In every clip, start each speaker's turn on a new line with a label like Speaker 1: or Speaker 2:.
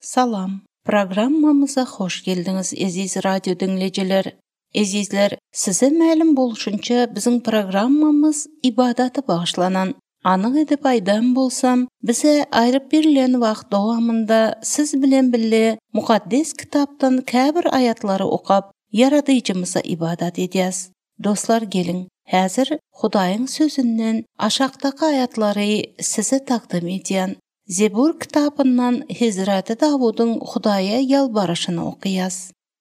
Speaker 1: Salam! Programmamyza hoş geldiňiz eziz radio diňleýjiler! Ezizler, size mälim bolşunça biziň programmamyz ybadata bagyşlanan. Anyk edip aýdan bolsam, bize aýryp berilen wagt dowamynda siz bilen bile Mukaddes Kitapdan käbir aýatlary okap, Ýaradyjymyza ybadat edýäs. Dostlar geliň, häzir Hudaýyň Sözünden aşakdaky aýatlary size takdym edýän. Zebur kitabyndan Hezreti Dawudyň Hudaýa ýalbaryşyny okaýas.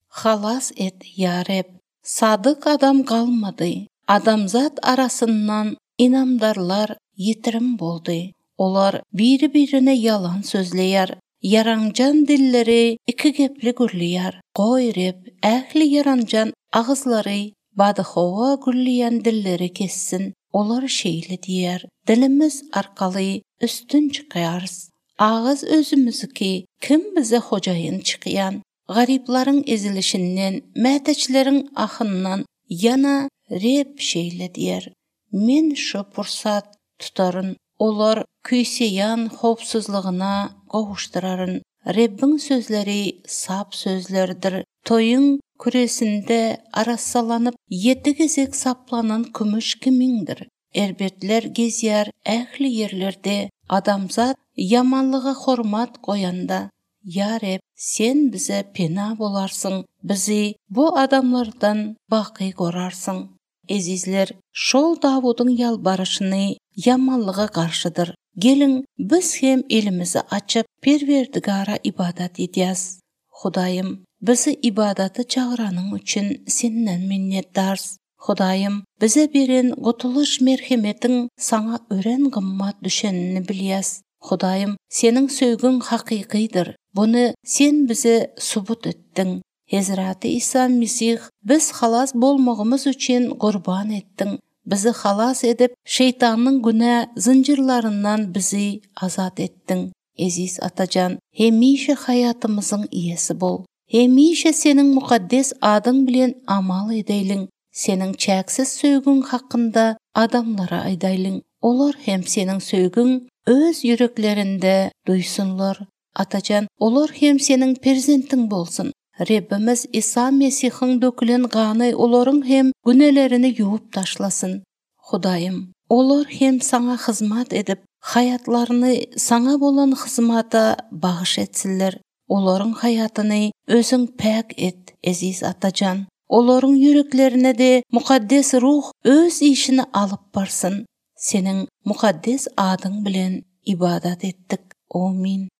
Speaker 1: Halas et, ýa Reb! Sadyk adam galmady, adamzat arasyndan ynamdarlar ýitirim boldy. Olar biri-birine ýalan sözleýär, ýaranjaň dilleri ikigepli gürleýär. Goý, Reb ähli ýaranjaň agyzlary, badyhowa gürleýän dilleri kessin. Olar şeýle diýer, Dilimiz arkaly üstün çykarys. Agyz özümizniki, kim bize hojaýyn çykýan? Garyplaryň ezilişinden, mätäçleriň ahyndan ýana Reb şeýle diýer, Men şu pursat tutaryn, olar küýseýän howpsuzlygyna gowuşdyraryn. Rebbiň sözleri sap sözlerdir, toýuň küresinde arassalanyp, ýedi gezek saplanan kümüş kimindir. Erbetler gezýär ähli ýerlerde, adamzat ýamanlyga hormat goýanda. Ýa Reb, Sen bize pena bolarsyň, bizi bu adamlardan baky gorarsyň. Ezizler, şol Dawudyň ýalbaryşyny ýamanlyga garşydyr. Geliň, biz hem elimizi açyp, Perwerdigara ybadat edýäs. Hudaýym, bizi ybadata çagyranyň üçin Senden minnetdars. Hudaýym, bize beren gutulyş merhemetiň Saňa örän gymmat düşenini bilýäs. Hudaýym, Seniň söýgüň hakykydyr. Buny Sen bize subut etdiň. Hezreti Isa Mesih biz halas bolmagymyz üçin gurban etdiň. Bizi halas edip, şeýtanyň günä zynjyrlaryndan bizi azat etdiň. Eziz Atajan, hemişe haýatymyzyň iýesi bol. Hemişe Seniň mukaddes adyň bilen amal edeýliň, Seniň çäksiz söýgüň hakynda adamlara aýdaýlyň, olar hem Seniň söýgüň öz ýüreklerinde duýsunlar. Atajan, olar hem Seniň perzentiň bolsun. Rebbimiz Isa Mesihiň dökülen gany olaryň hem günälerini ýuwup taşlasyn. Hudaýym, olar hem Saňa hyzmat edip, haýatlaryny Saňa bolan hyzmata bagyş etsinler. Olaryň haýatyny Özüň päk et, eziz Atajan. Olaryň ýüreklerine-de Mukaddes Ruh Öz işini alyp barsyn. Seniň mukaddes adyň bilen ybadat etdik. Omyn.